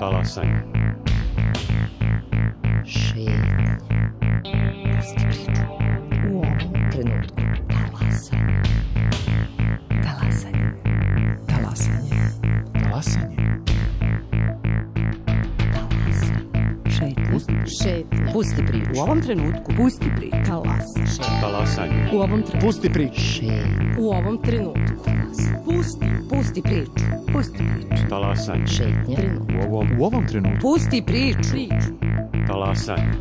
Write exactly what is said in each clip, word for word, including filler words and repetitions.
Talasanje. Šetnje. Pusti priču. U ovom trenutku. Talasanje. Talasanje. Talasanje. Talasanje. Šetnje. Šetnje. Pusti priču. U ovom trenutku. Pusti priču. Talasanje. Talasanje. U ovom trenutku. Pusti priču. Šetnje. U ovom trenutku. Pusti. Pusti priču. Pusti priču. Talasanje. Šetnje. U ovom, U ovom trenutku. Pusti priču. Priču. talasanje.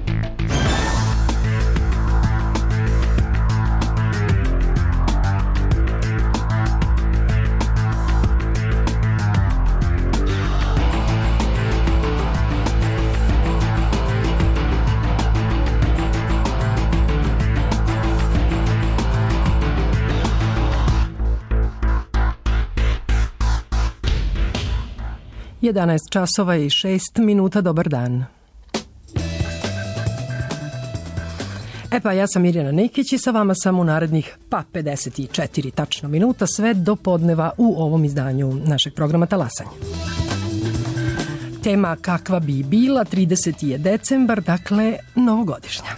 jedanaest časova i šest minuta, dobar dan. E pa, ja sam Mirjana Nikić i sa vama sam u narednih pa pedeset četiri tačno minuta, sve do podneva u ovom izdanju našeg programa Talasanje. Tema kakva bi bila, trideseti je decembar, dakle novogodišnja.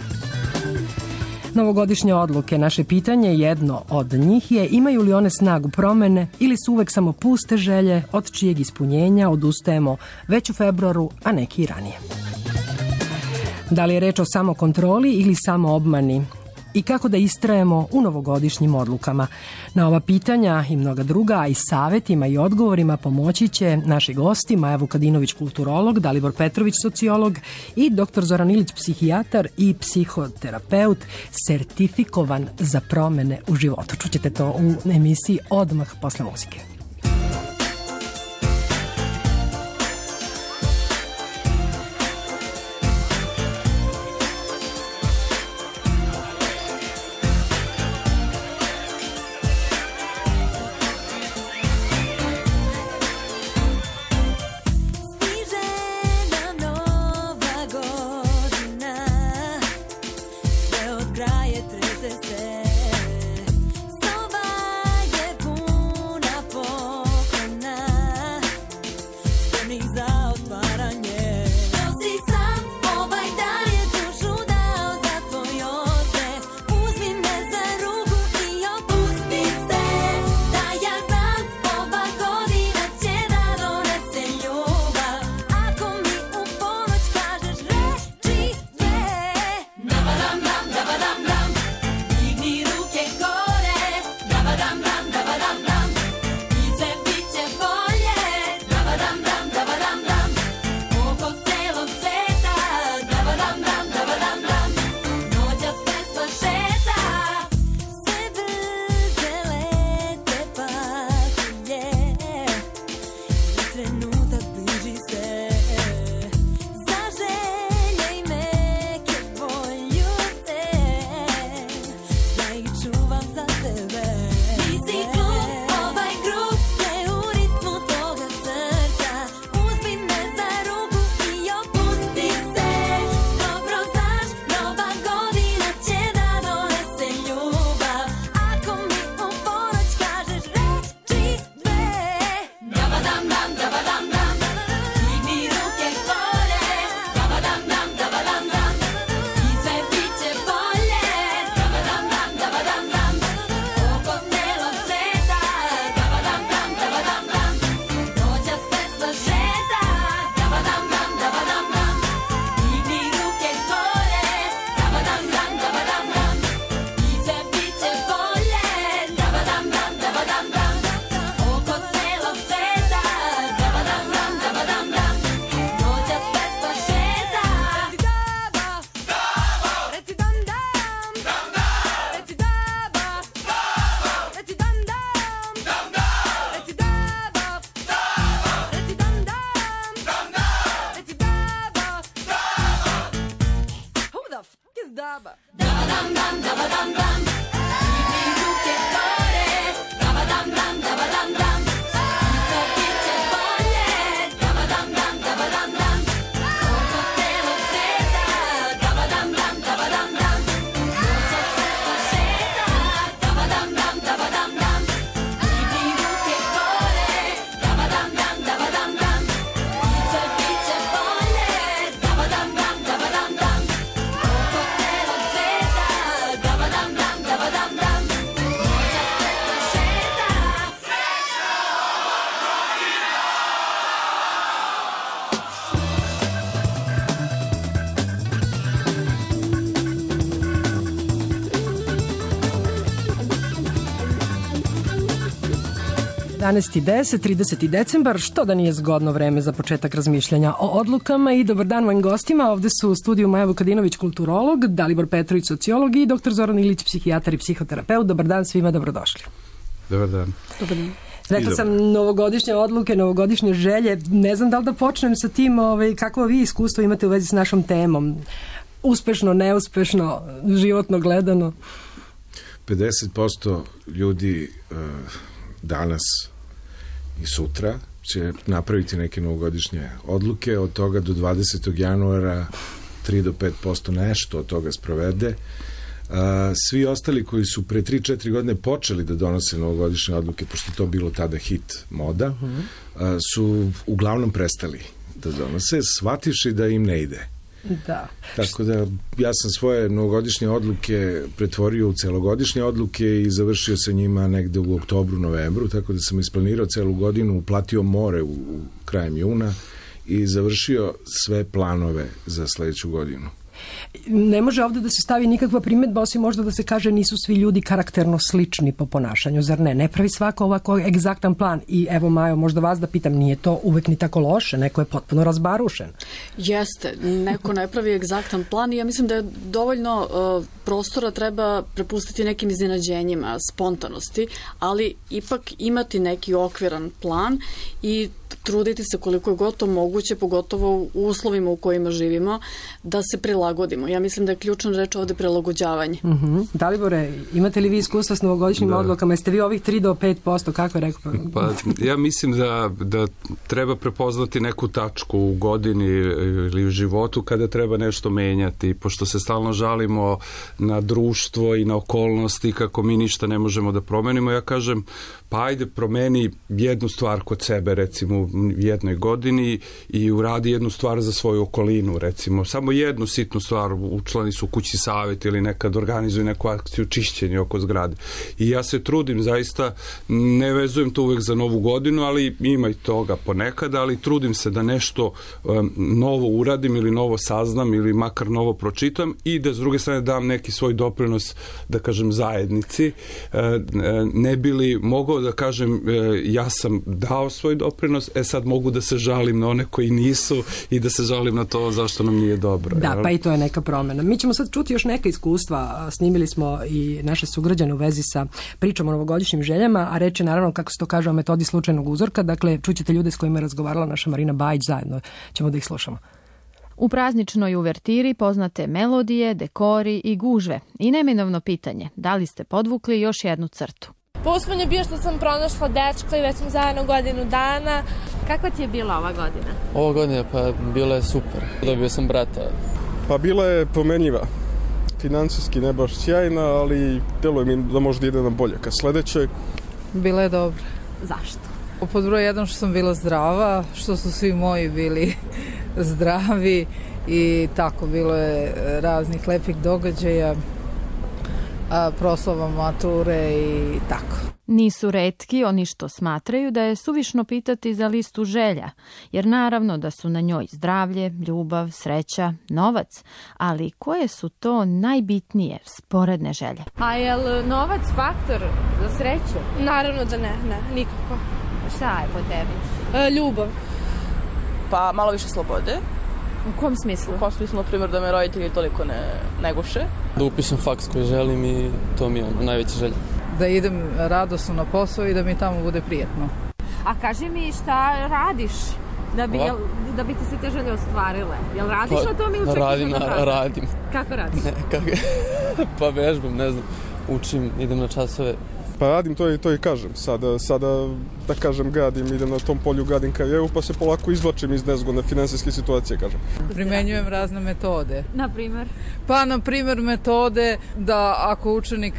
Novogodišnje odluke, naše pitanje, jedno od njih je imaju li one snagu promene ili su uvek samo puste želje od čijeg ispunjenja odustajemo već u februaru, a neki i ranije. Da li je reč o samokontroli ili samoobmani? I kako da istrajemo u novogodišnjim odlukama? Na ova pitanja i mnoga druga, a i savjetima i odgovorima pomoći će naši gosti Maja Vukadinović, kulturolog, Dalibor Petrović, sociolog i doktor Zoran Ilić, psihijatar i psihoterapeut, sertifikovan za promene u životu. Čućete to u emisiji odmah posle muzike. jedanaest i deset, trideseti decembar, što da nije zgodno vreme za početak razmišljanja o odlukama. I dobar dan mojim gostima, ovde su u studiju Maja Vukadinović, kulturolog, Dalibor Petrović, sociolog i doktor Zoran Ilić, psihijatar i psihoterapeut. Dobar dan svima, dobrodošli. Dobar dan. Dobar dan. Rekla sam novogodišnje odluke, novogodišnje želje. Ne znam da li da počnem sa tim, ovaj, kakvo vi iskustvo imate u vezi s našom temom. Uspešno, neuspešno, životno gledano. pedeset posto ljudi uh, danas i sutra će napraviti neke novogodišnje odluke, od toga do dvadesetog januara tri do pet posto nešto od toga sprovede. Uh, svi ostali koji su pre tri četiri godine počeli da donose novogodišnje odluke, pošto to bilo tada hit moda, uh, su uglavnom prestali da donose, shvativši da im ne ide. Da. Tako da ja sam svoje novogodišnje odluke pretvorio u celogodišnje odluke i završio sa njima negde u oktobru, novembru, tako da sam isplanirao celu godinu, uplatio more u, u krajem juna i završio sve planove za sledeću godinu. Ne može ovde da se stavi nikakva primedba, osim možda da se kaže nisu svi ljudi karakterno slični po ponašanju, zar ne? Ne pravi svako ovako egzaktan plan. I evo, Majo, možda vas da pitam, nije to uvek ni tako loše, neko je potpuno razbarušen. Jeste, neko ne pravi egzaktan plan i ja mislim da je dovoljno uh, prostora treba prepustiti nekim iznenađenjima, spontanosti, ali ipak imati neki okviran plan i truditi se koliko je gotovo moguće, pogotovo u uslovima u kojima živimo, da se prilagodimo. Ja mislim da je ključna reč ovde prilagođavanje. Uh -huh. Dalibore, imate li vi iskustva s novogodišnjim da. odlukama? Jeste vi ovih tri do pet posto, kako je rekao? Pa, ja mislim da, da treba prepoznati neku tačku u godini ili u životu kada treba nešto menjati, pošto se stalno žalimo na društvo i na okolnosti kako mi ništa ne možemo da promenimo. Ja kažem, pa ajde promeni jednu stvar kod sebe, recimo u jednoj godini i uradi jednu stvar za svoju okolinu, recimo samo jednu sitnu stvar, učlani su kući savjet ili nekad organizuju neku akciju čišćenja oko zgrade. I ja se trudim, zaista ne vezujem to uvek za novu godinu, ali ima i toga ponekad, ali trudim se da nešto um, novo uradim ili novo saznam ili makar novo pročitam i da s druge strane dam neki svoj doprinos, da kažem, zajednici. Uh, ne bi li mogao da kažem, uh, ja sam dao svoj doprinos, e sad mogu da se žalim na one koji nisu i da se žalim na to zašto nam nije dobro. Da, jel? Pa i to je neka promena. Mi ćemo sad čuti još neka iskustva. Snimili smo i naše sugrađane u vezi sa pričom o novogodišnjim željama, a reč je naravno, kako se to kaže, o metodi slučajnog uzorka. Dakle, čućete ljude s kojima je razgovarala naša Marina Bajić, zajedno ćemo da ih slušamo. U prazničnoj uvertiri poznate melodije, dekori i gužve. I neminovno pitanje, da li ste podvukli još jednu crtu? Uspon je bio što sam pronašla dečka i već sam zajedno godinu dana. Kakva ti je bila ova godina? Ova godina pa bila je super. Dobio sam brata. Pa bila je promenljiva. Finansijski ne baš sjajna, ali deluje mi da možda ide na bolje ka sledećoj. Bila je dobra. Zašto? Pod broj jedan što sam bila zdrava, što su svi moji bili zdravi i tako bilo je raznih lepih događaja, proslava mature i tako. Nisu retki oni što smatraju da je suvišno pitati za listu želja, jer naravno da su na njoj zdravlje, ljubav, sreća, novac, ali koje su to najbitnije sporedne želje? A je li novac faktor za sreću? Naravno da ne, ne, nikako. Šta je po tebi? E, ljubav. Pa malo više slobode. U kom smislu? U kom smislu, na primjer, da me roditelji toliko ne, ne guše. Da upišem faks koji želim i to mi je ono, najveća želja. Da idem radosno na posao i da mi tamo bude prijetno. A kaži mi šta radiš da bi, jel, da bi ti se te želje ostvarile? Jel radiš pa, na tom ili čak radim, na na, radim. Kako radiš? Ne, kako, pa vežbam, ne znam, učim, idem na časove. Pa radim to i to i kažem. Sada, sada da kažem, gradim, idem na tom polju, gradim karijeru, pa se polako izvlačim iz nezgodne finansijske situacije, kažem. Primenjujem razne metode. Na primer? Pa, na primer, metode da ako učenik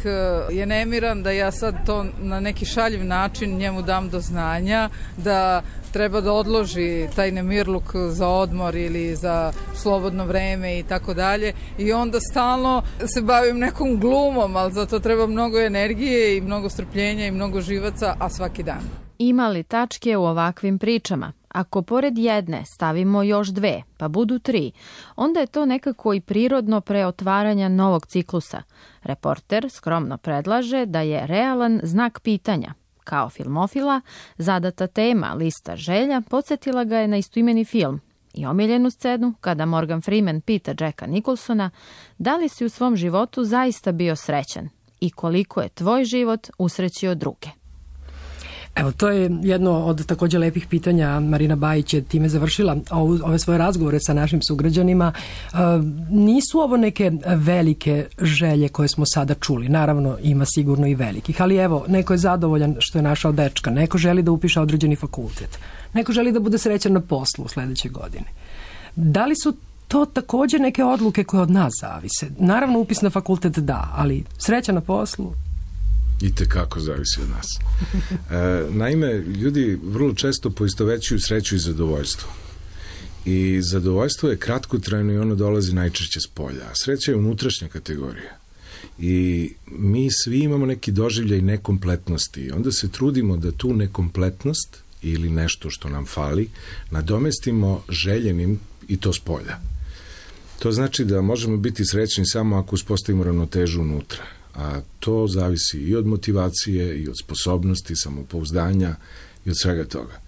je nemiran, da ja sad to na neki šaljiv način njemu dam do znanja, da treba da odloži taj nemirluk za odmor ili za slobodno vreme i tako dalje. I onda stalno se bavim nekom glumom, ali za to treba mnogo energije i mnogo strpljenja i mnogo živaca, a svaki dan. Ima li tačke u ovakvim pričama? Ako pored jedne stavimo još dve, pa budu tri, onda je to nekako i prirodno pre otvaranja novog ciklusa. Reporter skromno predlaže da je realan znak pitanja. Kao filmofila, zadata tema lista želja podsjetila ga je na istoimeni film i omiljenu scenu kada Morgan Freeman pita Jacka Nicholsona da li si u svom životu zaista bio srećan i koliko je tvoj život usrećio druge. Evo, to je jedno od također lepih pitanja. Marina Bajić je time završila ove svoje razgovore sa našim sugrađanima. E, nisu ovo neke velike želje koje smo sada čuli. Naravno, ima sigurno i velikih. Ali evo, neko je zadovoljan što je našao dečka. Neko želi da upiše određeni fakultet. Neko želi da bude srećan na poslu u sledećoj godini. Da li su to također neke odluke koje od nas zavise? Naravno, upis na fakultet da, ali sreća na poslu... I tekako zavisi od nas. E, naime, ljudi vrlo često poistovećuju sreću i zadovoljstvo. I zadovoljstvo je kratkotrajno i ono dolazi najčešće s polja. A sreća je unutrašnja kategorija. I mi svi imamo neki doživljaj nekompletnosti. Onda se trudimo da tu nekompletnost ili nešto što nam fali nadomestimo željenim i to s polja. To znači da možemo biti srećni samo ako uspostavimo ravnotežu unutra. A to zavisi i od motivacije, i od sposobnosti, samopouzdanja i od svega toga.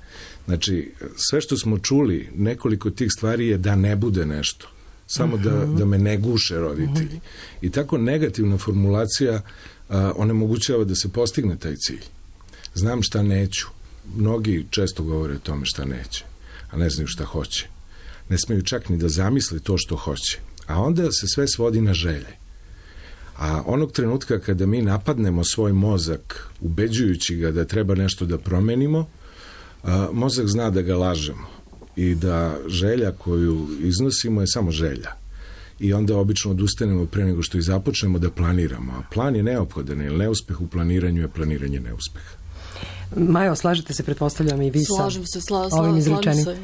Znači, sve što smo čuli, nekoliko tih stvari je da ne bude nešto. Samo da, da me ne guše roditelji. I tako negativna formulacija a, onemogućava da se postigne taj cilj. Znam šta neću. Mnogi često govore o tome šta neće, a ne znaju šta hoće. Ne smeju čak ni da zamisle to što hoće. A onda se sve svodi na želje. A onog trenutka kada mi napadnemo svoj mozak, ubeđujući ga da treba nešto da promenimo, a, mozak zna da ga lažemo i da želja koju iznosimo je samo želja. I onda obično odustanemo pre nego što i započnemo da planiramo. A plan je neophodan, jer neuspeh u planiranju je planiranje neuspeha. Majo, slažete se, pretpostavljam i vi sa slažem se, sla, sla, ovim slažem se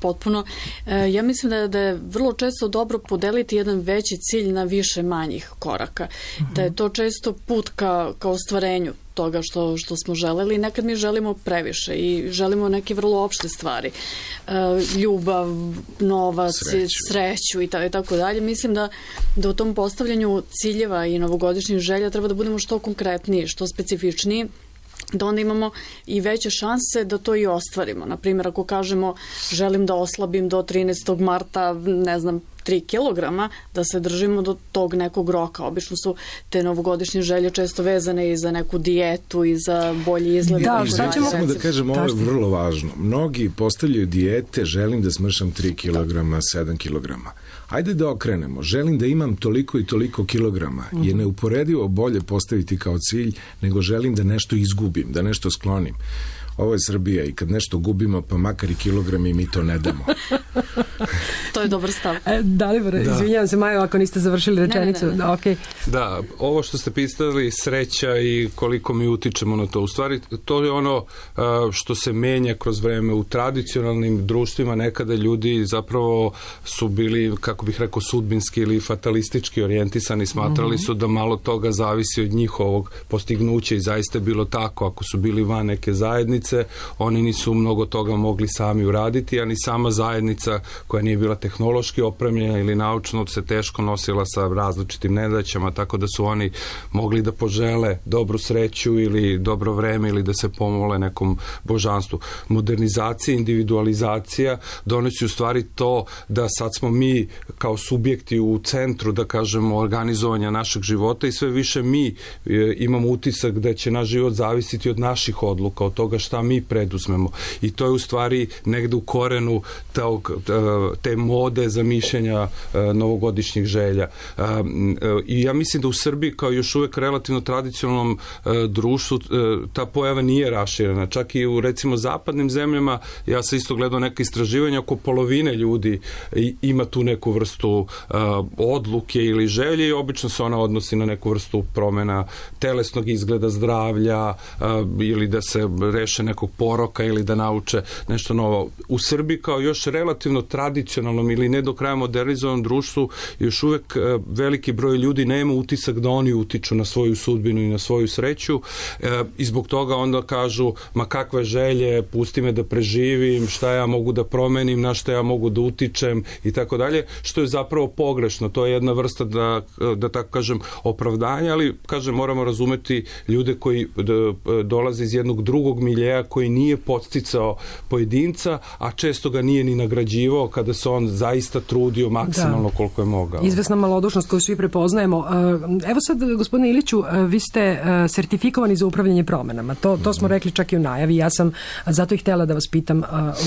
potpuno. E, ja mislim da je, da je vrlo često dobro podeliti jedan veći cilj na više manjih koraka. Mm-hmm. Da je to često put ka, ka ostvarenju toga što, što smo želeli. Nekad mi želimo previše i želimo neke vrlo opšte stvari. E, ljubav, novac, sreću, sreću i, ta, i tako dalje. Mislim da, da u tom postavljanju ciljeva i novogodišnjih želja treba da budemo što konkretniji, što specifičniji, da onda imamo i veće šanse da to i ostvarimo. Naprimjer, ako kažemo želim da oslabim do trinaestog marta, ne znam, tri kilograma, da se držimo do tog nekog roka. Obično su te novogodišnje želje često vezane i za neku dijetu i za bolji izgled. Da, šta ćemo? Samo da kažem, ovo je vrlo važno. Mnogi postavljaju dijete, želim da smršam tri kilograma, sedam kilograma. Ajde da okrenemo. Želim da imam toliko i toliko kilograma. Je neuporedivo bolje postaviti kao cilj nego želim da nešto izgubim, da nešto sklonim. Ovo je Srbija i kad nešto gubimo, pa makar i kilogrami, mi to ne damo. To je dobar stav. E, Dalibor, da. Izvinjavam se, Majo, ako niste završili rečenicu. Ne, ne, ne. Da, okay. Da, ovo što ste pitali, sreća i koliko mi utičemo na to. U stvari, to je ono što se menja kroz vreme. U tradicionalnim društvima nekada ljudi zapravo su bili, kako bih rekao, sudbinski ili fatalistički orijentisani. Smatrali su da malo toga zavisi od njihovog postignuća i zaista je bilo tako. Ako su bili van neke zajednice, oni nisu mnogo toga mogli sami uraditi, a ni sama zajednica koja nije bila tehnološki opremljena ili naučno se teško nosila sa različitim nedaćama, tako da su oni mogli da požele dobru sreću ili dobro vreme ili da se pomole nekom božanstvu. Modernizacija, individualizacija donosi u stvari to da sad smo mi kao subjekti u centru, da kažemo, organizovanja našeg života i sve više mi imamo utisak da će naš život zavisiti od naših odluka, od toga šta mi preduzmemo. I to je u stvari negde u korenu tog, te mode zamišljanja novogodišnjih želja. I ja mislim da u Srbiji kao još uvek relativno tradicionalnom društvu ta pojava nije raširena. Čak i u recimo zapadnim zemljama, ja sam isto gledao neka istraživanja, oko polovine ljudi ima tu neku vrstu odluke ili želje i obično se ona odnosi na neku vrstu promena telesnog izgleda, zdravlja ili da se reše nekog poroka ili da nauče nešto novo. U Srbiji kao još relativno tradicionalnom ili ne do kraja modernizovanom društvu još uvek veliki broj ljudi nema utisak da oni utiču na svoju sudbinu i na svoju sreću i zbog toga onda kažu ma kakve želje, pusti me da preživim, šta ja mogu da promenim, na šta ja mogu da utičem i tako dalje, što je zapravo pogrešno. To je jedna vrsta da, da tako kažem opravdanja, ali kažem moramo razumeti ljude koji dolaze iz jednog drugog miljeja koji nije podsticao pojedinca, a često ga nije ni nagrađivao kada se on zaista trudio maksimalno da. Koliko je mogao. Izvesna malodušnost koju svi prepoznajemo. Evo sad, gospodine Iliću, vi ste sertifikovani za upravljanje promenama. To, to smo rekli čak i u najavi. Ja sam zato i htjela da vas pitam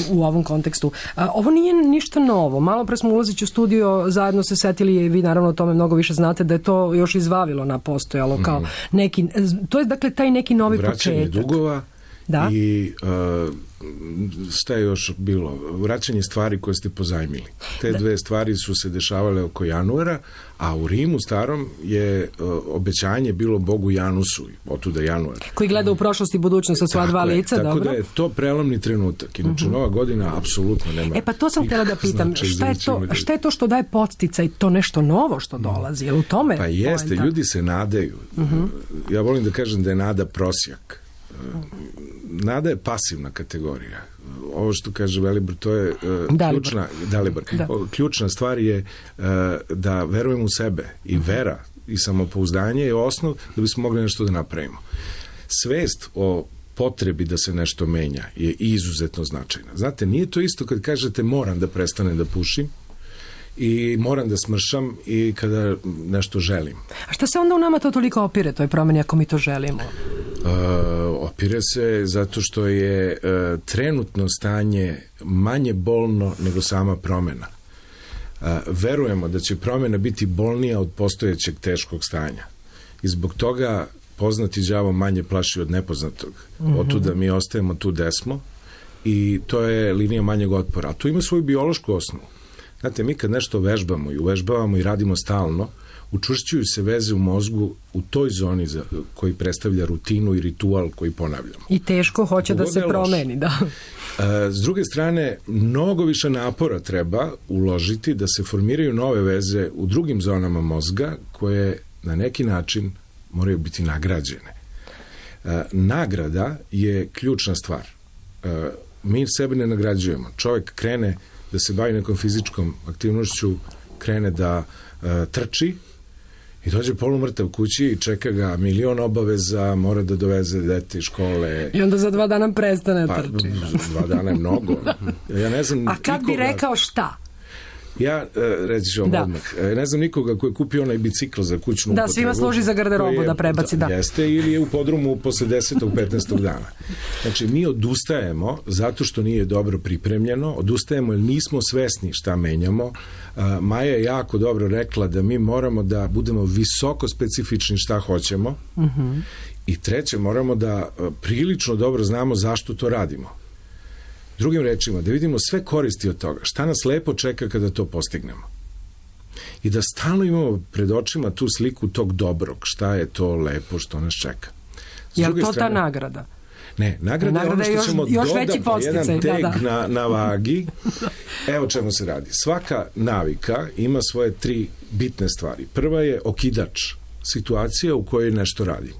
u ovom kontekstu. Ovo nije ništa novo. Malo pre smo ulazeći u studio, zajedno se setili, vi naravno o tome mnogo više znate, da je to još izvavilo na postojalo kao neki, to je dakle taj neki novi početak. Vraćanje dugova da? I uh, šta je još bilo? Vraćanje stvari koje ste pozajmili. Te da. Dve stvari su se dešavale oko januara, a u Rimu starom je uh, obećanje bilo Bogu Janusu, otuda januar. Koji gleda u prošlost i budućnost sa sva dva lica, tako dobro? Tako da je to prelomni trenutak. Inače, uh-huh. nova godina apsolutno nema. E pa to sam htjela da pitam, šta je to, šta je to što daje podsticaj, to nešto novo što dolazi? Je li u tome? Pa jeste, poenta? Ljudi se nadaju. Uh-huh. Ja volim da kažem da je nada prosjak. Nada je pasivna kategorija. Ovo što kaže Velibor, to je uh, ključna, Dalibor, da. ključna stvar je uh, da verujemo u sebe i vera i samopouzdanje je osnov da bismo mogli nešto da napravimo. Svest o potrebi da se nešto menja je izuzetno značajna. Znate, nije to isto kad kažete moram da prestanem da pušim i moram da smršam i kada nešto želim. A šta se onda u nama to toliko opire, toj promeni, ako mi to želimo? Uh, opire se zato što je uh, trenutno stanje manje bolno nego sama promena. Uh, verujemo da će promena biti bolnija od postojećeg teškog stanja. I zbog toga poznati đavo manje plaši od nepoznatog. Mm-hmm. Otuda mi ostajemo tu gde smo i to je linija manjeg otpora. A to ima svoju biološku osnovu. Znate, mi kad nešto vežbamo i uvežbavamo i radimo stalno, učvršćuju se veze u mozgu u toj zoni za, koji predstavlja rutinu i ritual koji ponavljamo. I teško hoće da se promeni, da. S druge strane, mnogo više napora treba uložiti da se formiraju nove veze u drugim zonama mozga koje na neki način moraju biti nagrađene. Nagrada je ključna stvar. Mi sebe ne nagrađujemo. Čovjek krene da se bavi nekom fizičkom aktivnošću, krene da uh, trči i dođe polumrtav kući i čeka ga milion obaveza, mora da doveze dete iz škole. I onda za dva dana prestane pa, trči. Dva dana je mnogo. Ja ne znam A kad nikoga... bi rekao šta? Ja, reći ću vam da. odmah, ne znam nikoga koji je kupio onaj bicikl za kućnu da, upotrebu. Svima služi za garderobu je, da prebaci, da. Jeste, ili je u podrumu posle desetog petnaestog dana. Znači, mi odustajemo zato što nije dobro pripremljeno, odustajemo jer nismo svesni šta menjamo. Uh, Maja je jako dobro rekla da mi moramo da budemo visoko specifični šta hoćemo uh-huh. i treće, moramo da uh, prilično dobro znamo zašto to radimo. Drugim rečima, da vidimo sve koristi od toga, šta nas lepo čeka kada to postignemo. I da stalno imamo pred očima tu sliku tog dobrog, šta je to lepo što nas čeka. Je li to strane, ta nagrada? Ne, nagrada, nagrada je ono što ćemo još dodati posticaj, jedan teg da, da. Na, na vagi. Evo čemu se radi. Svaka navika ima svoje tri bitne stvari. Prva je okidač, situacija u kojoj nešto radim.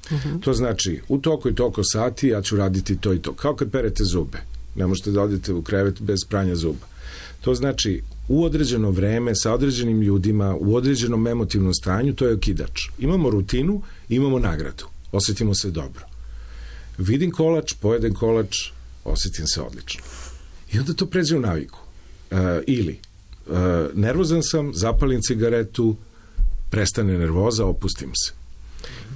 Uh-huh. To znači, u toliko i toliko sati ja ću raditi to i to. Kao kad perete zube. Ne možete da odete u krevet bez pranja zuba. To znači, u određeno vreme, sa određenim ljudima, u određenom emotivnom stanju, to je okidač. Imamo rutinu, imamo nagradu. Osjetimo se dobro. Vidim kolač, pojedem kolač, osjetim se odlično. I onda to pređe u naviku. Uh, ili, uh, nervozan sam, zapalim cigaretu, prestane nervoza, opustim se.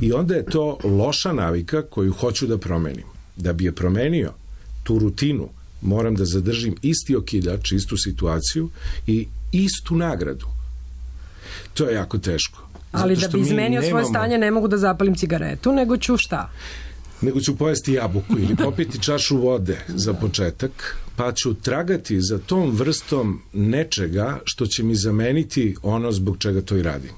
I onda je to loša navika koju hoću da promenim. Da bi je promenio, tu rutinu, moram da zadržim isti okidač, istu situaciju i istu nagradu. To je jako teško. Ali da bi izmenio nemamo... svoje stanje ne mogu da zapalim cigaretu, nego ću šta? Nego ću pojesti jabuku ili popiti čašu vode za početak, pa ću tragati za tom vrstom nečega što će mi zameniti ono zbog čega to i radim.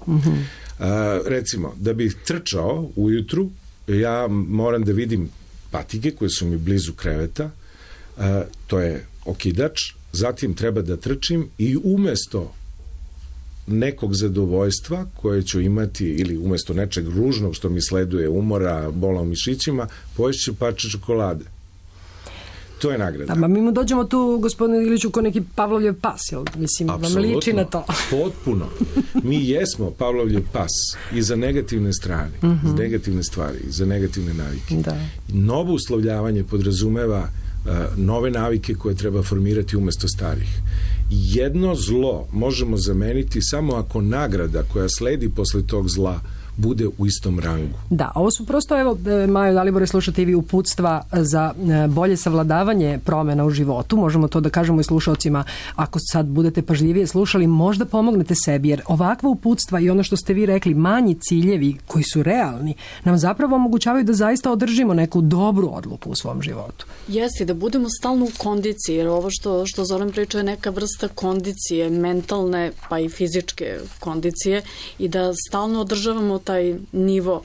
Mm-hmm. A, recimo, da bih trčao ujutru, ja moram da vidim patike koje su mi blizu kreveta, a, to je okidač, zatim treba da trčim i umesto nekog zadovoljstva koje ću imati ili umesto nečeg ružnog što mi sleduje, umora, bola u mišićima, poješću parče čokolade. To je nagrada. Da, mi mu dođemo tu, gospodine Iliću, ko neki Pavlovljev pas, jel? Mislim, Apsolutno, vam liči na to. Potpuno. Mi jesmo Pavlovljev pas i za negativne strane, mm-hmm. za negativne stvari, za negativne navike. Da. Novo uslovljavanje podrazumeva uh, nove navike koje treba formirati umesto starih. Jedno zlo možemo zameniti samo ako nagrada koja sledi posle tog zla bude u istom rangu. Da, ovo su prosto, evo, Majo, Dalibore, slušate i vi uputstva za bolje savladavanje promjena u životu. Možemo to da kažemo i slušalcima, ako sad budete pažljivije slušali, možda pomognete sebi, jer ovakva uputstva i ono što ste vi rekli, manji ciljevi koji su realni, nam zapravo omogućavaju da zaista održimo neku dobru odluku u svom životu. Jeste, da budemo stalno u kondiciji, jer ovo što, što Zoran priča je neka vrsta kondicije, mentalne pa i fizičke kondicije, i da stalno održavamo taj nivo,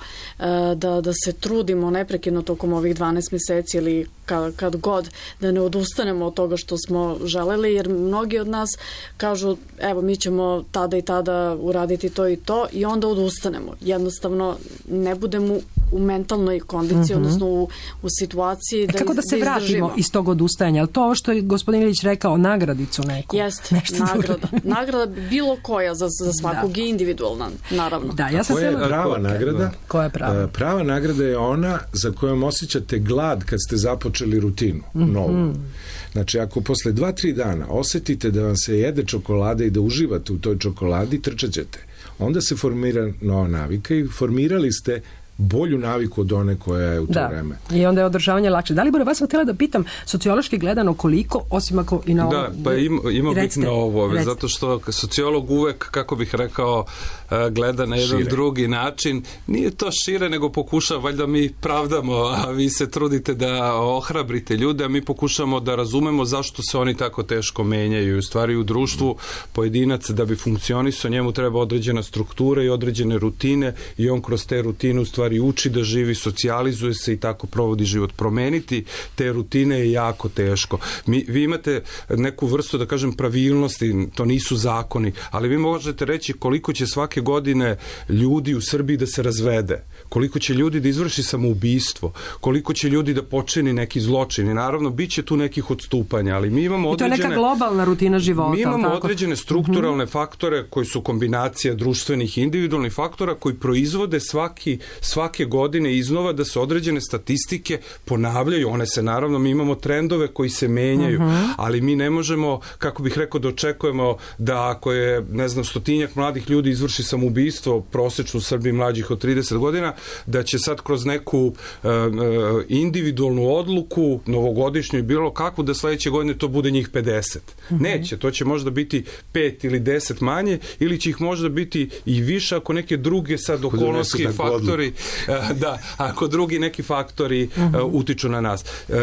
da, da se trudimo neprekidno tokom ovih dvanaest meseci ili kad, kad god, da ne odustanemo od toga što smo želeli, jer mnogi od nas kažu, evo, mi ćemo tada i tada uraditi to i to, i onda odustanemo. Jednostavno ne budemo u mentalnoj kondiciji, mm-hmm. odnosno u, u situaciji da, kako da se da vratimo iz tog odustajanja? Ali to ovo što je gospodin Ilić rekao, nagradicu neku. Jeste, nagrada. Nagrada bilo koja za, za svakog da. I individualna, naravno. Da, ja sam koja je prava nagrada? Koja je prava? Prava nagrada je ona za kojom osjećate glad kad ste započeli rutinu, mm-hmm. novu. Znači, ako posle dva, tri dana osetite da vam se jede čokolada i da uživate u toj čokoladi, trčat ćete. Onda se formira nova navika i formirali ste bolju naviku od one koja je u to da. Vreme. I onda je održavanje lakše. Da li, Bore, vas sam htjela da pitam, sociološki gledano, koliko, osim ako i na ovo... Da, pa ima, ima bitno ovo, zato što sociolog uvek, kako bih rekao, gleda na jedan šire. Drugi način. Nije to šire, nego pokuša, valjda mi pravdamo, a vi se trudite da ohrabrite ljude, a mi pokušamo da razumemo zašto se oni tako teško menjaju. U stvari, u društvu pojedinac, da bi funkcionisao, njemu treba određena struktura i određene rutine, i on kroz te rutine u stvari uči da živi, socijalizuje se i tako provodi život. Promeniti te rutine je jako teško. Mi, vi imate neku vrstu, da kažem, pravilnosti, to nisu zakoni, ali vi možete reći koliko će svake godine ljudi u Srbiji da se razvede, koliko će ljudi da izvrši samoubistvo, koliko će ljudi da počini neki zločin, i naravno bit će tu nekih odstupanja, ali mi imamo određene... I to je neka globalna rutina života. Mi imamo tako? određene strukturalne mm-hmm. faktore koji su kombinacija društvenih i individualnih faktora koji proizvode svaki svake godine iznova da se određene statistike ponavljaju. One se, naravno, mi imamo trendove koji se menjaju, uh-huh. ali mi ne možemo, kako bih rekao, da očekujemo da ako je, ne znam, stotinjak mladih ljudi izvrši samoubistvo, prosečno u Srbiji mlađih od trideset godina, da će sad kroz neku uh, individualnu odluku, novogodišnju i bilo kakvu, da sledeće godine to bude njih pedeset. Uh-huh. Neće, to će možda biti pet ili deset manje, ili će ih možda biti i više ako neke druge sad okolnosti, faktori, da, ako drugi neki faktori uh-huh. uh, utiču na nas. Uh,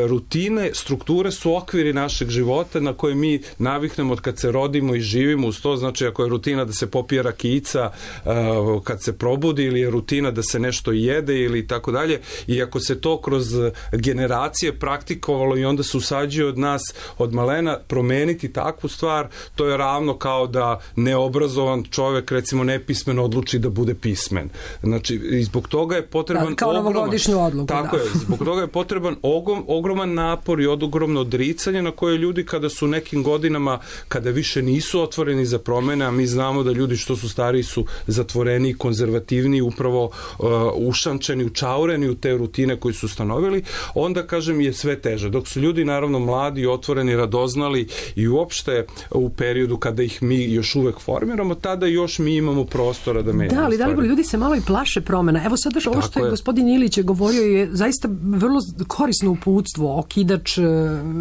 rutine, strukture su okviri našeg života na koje mi naviknemo od kad se rodimo i živimo uz to. Znači, ako je rutina da se popije rakijica uh, kad se probudi, ili je rutina da se nešto jede ili tako dalje, i ako se to kroz generacije praktikovalo i onda se usađuje od nas od malena, promeniti takvu stvar, to je ravno kao da neobrazovan čovek, recimo nepismen, odluči da bude pismen. Znači, i zbog toga je potreban da, kao novogodišnju odluku. Tako da. je, zbog toga je potreban ogrom, ogroman napor i ogromno odricanje na koje ljudi kada su nekim godinama, kada više nisu otvoreni za promene, a mi znamo da ljudi što su stariji su zatvoreni, konzervativni, upravo uh, ušančeni, učaureni u te rutine koji su ustanovili, onda, kažem, je sve teže. Dok su ljudi, naravno, mladi, otvoreni, radoznali i uopšte u periodu kada ih mi još uvek formiramo, tada još mi imamo prostora da menjamo. Da, ali da li ljudi se malo i plaše promena. Evo sad ovo što je, je gospodin Ilić je govorio je zaista vrlo korisno uputstvo, okidač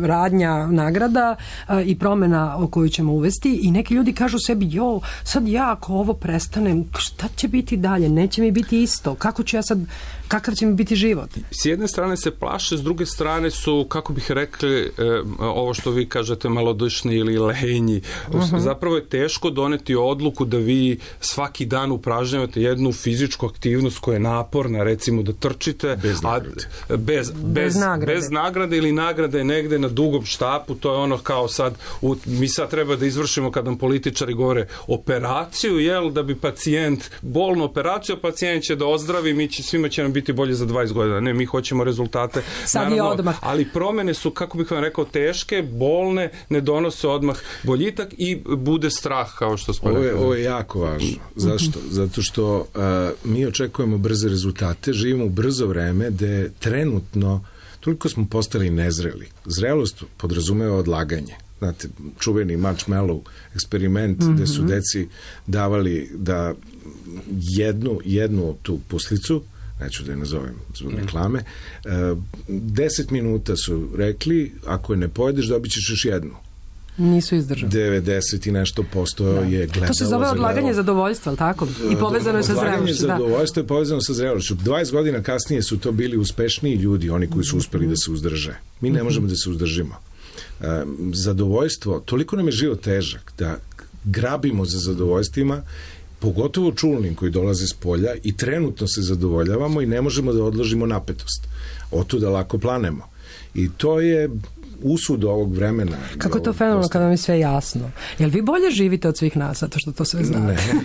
radnja nagrada i promena o koju ćemo uvesti, i neki ljudi kažu sebi, jo, sad ja ako ovo prestanem, šta će biti dalje? Neće mi biti isto. Kako ću ja sad, kakav će mi biti život? S jedne strane se plaše, s druge strane su, kako bih rekli, eh, ovo što vi kažete, malodušni ili lenji. Uh-huh. Zapravo je teško doneti odluku da vi svaki dan upražnjavate jednu fizičku aktivnost koja je naporna, recimo da trčite bez nagrade, a, bez, bez, bez, nagrade. bez nagrade ili nagrade negde na dugom štapu, to je ono kao sad, u, mi sad treba da izvršimo kad nam političari govore operaciju, jel, da bi pacijent, bolnu operaciju, a pacijent će da ozdravi, mi će, svima će nam biti bolje za dvadeset godina. Ne, mi hoćemo rezultate. Sad naravno, je odmah. Ali promene su, kako bih vam rekao, teške, bolne, ne donose odmah boljitak i bude strah, kao što smo ovo je, rekao. ovo je jako važno. Zašto? Zato što uh, mi očekujemo brze rezultate, živimo u brzo vreme gde trenutno toliko smo postali nezreli. Zrelost podrazumeva odlaganje. Znate, čuveni marshmallow eksperiment mm-hmm. gde su deci davali da jednu, jednu tu puslicu, neću da je nazovem zbog reklame, deset minuta su rekli, ako je ne pojedeš, dobit ćeš još jednu. Nisu izdržali. devedeset i nešto posto da. je gledalo. To se zove odlaganje zadovoljstva, ali tako? I povezano je sa zrelošću. Odlaganje zadovoljstva je povezano sa zrelošću. dvadeset godina kasnije su to bili uspešniji ljudi, oni koji su uspeli da se uzdrže. Mi ne možemo da se uzdržimo. Zadovoljstvo, toliko nam je život težak da grabimo za zadovoljstvima, pogotovo čulnim koji dolaze s polja i trenutno se zadovoljavamo i ne možemo da odložimo napetost. Otuda lako planemo. I to je usud ovog vremena. Kako je to fenomenalno kada vam je sve jasno? Jel vi bolje živite od svih nas, zato što to sve znate? Ne.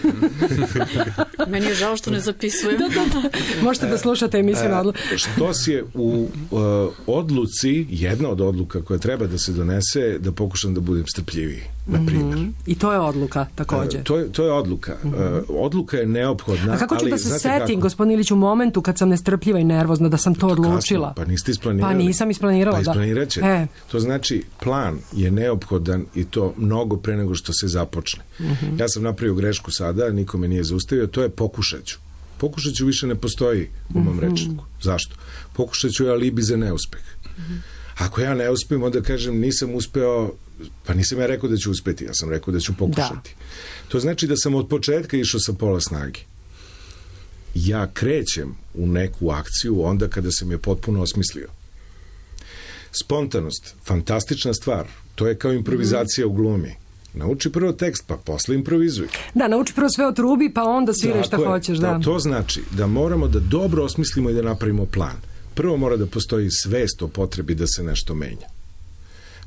Meni je žao što ne zapisujem. da, da, da. Možete da slušate emisiju na odluku. Što si je u uh, odluci, jedna od odluka koja treba da se donese, da pokušam da budem strpljiviji, na primjer. Mm-hmm. I to je odluka, također. Uh, to, je, to je odluka. Mm-hmm. Uh, odluka je neophodna. A kako ću ali, da se setim, gospodin Ilić, u momentu kad sam nestrpljiva i nervozna, da sam to odlučila? Kasno, pa niste isplanirali. Pa nisam isplanirala, pa da. Isplanirat ćete. E. To znači, plan je neophodan i to mnogo pre nego što se započne. Mm-hmm. Ja sam napravio grešku sada, nikome nije zaustavio, to je pokušaću. Pokušaću više ne postoji u mom mm-hmm. rečniku. Zašto? Pokušaću je alibi za neuspeh. Mm-hmm. Ako ja ne uspijem, onda kažem nisam uspeo, pa nisam ja rekao da ću uspeti, ja sam rekao da ću pokušati. Da. To znači da sam od početka išao sa pola snage. Ja krećem u neku akciju onda kada sam je potpuno osmislio. Spontanost, fantastična stvar. To je kao improvizacija mm. u glumi. Nauči prvo tekst, pa posle improvizuj. Da, nauči prvo sve od trubi, pa onda sviraj šta je. hoćeš. Da. Da, to znači da moramo da dobro osmislimo i da napravimo plan. Prvo mora da postoji svest o potrebi da se nešto menja.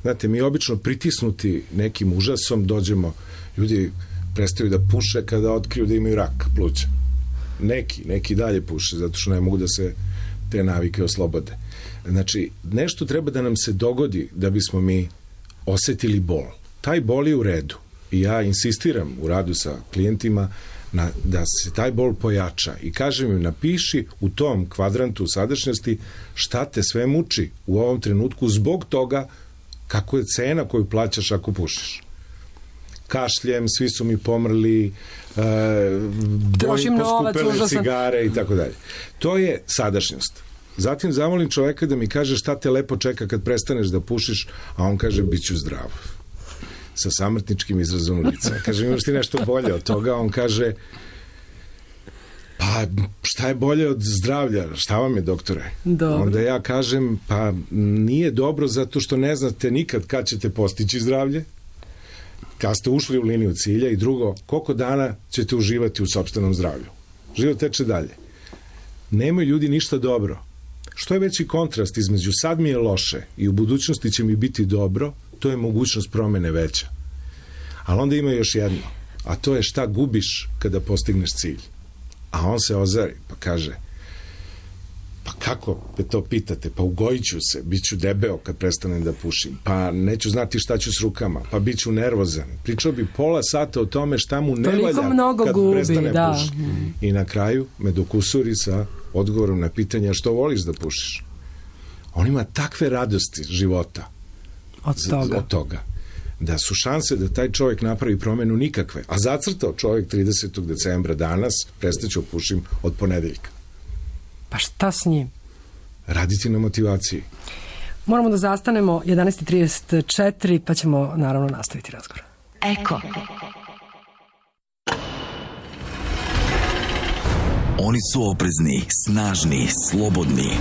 Znate, mi obično pritisnuti nekim užasom dođemo, ljudi prestaju da puše kada otkriju da imaju rak pluća. Neki, neki dalje puše, zato što ne mogu da se te navike oslobode. Znači, nešto treba da nam se dogodi da bismo mi osetili bol. Taj bol je u redu. I ja insistiram u radu sa klijentima na, da se taj bol pojača. I kažem im, napiši u tom kvadrantu sadašnjosti šta te sve muči u ovom trenutku zbog toga kako je cena koju plaćaš ako pušiš. Kašljem, svi su mi pomrli, e, bojim poskupele cigare i tako dalje. To je sadašnjost. Zatim zamolim čoveka da mi kaže šta te lepo čeka kad prestaneš da pušiš, a on kaže bit ću zdrav. Sa samrtničkim izrazom lica. Kaže, imaš ti nešto bolje od toga? On kaže, pa šta je bolje od zdravlja? Šta vam je, doktore? Dobro. Onda ja kažem, pa nije dobro zato što ne znate nikad kad ćete postići zdravlje, kad ste ušli u liniju cilja, i drugo, koliko dana ćete uživati u sopstvenom zdravlju. Život teče dalje. Nemaju ljudi ništa dobro. Što je veći kontrast između sad mi je loše i u budućnosti će mi biti dobro, to je mogućnost promene veća. Ali onda ima još jedno, a to je šta gubiš kada postigneš cilj. A on se ozari pa kaže, pa kako me to pitate, pa ugojit ću se, bit ću debeo kad prestanem da pušim, pa neću znati šta ću s rukama, pa bit ću nervozan. Pričao bi pola sata o tome šta mu ne valja kad gubi, prestane da puši. I na kraju me dokusuri sa odgovorom na pitanje što voliš da pušiš. On ima takve radosti života od toga. od toga da su šanse da taj čovjek napravi promenu nikakve. A zacrtao čovjek tridesetog decembra danas, prestaću pušim od ponedeljka. Pa šta s njim? Raditi na motivaciji. Moramo da zastanemo jedanaest i trideset četiri, pa ćemo naravno nastaviti razgovor. Eko. Oni su oprezni, snažni, slobodni.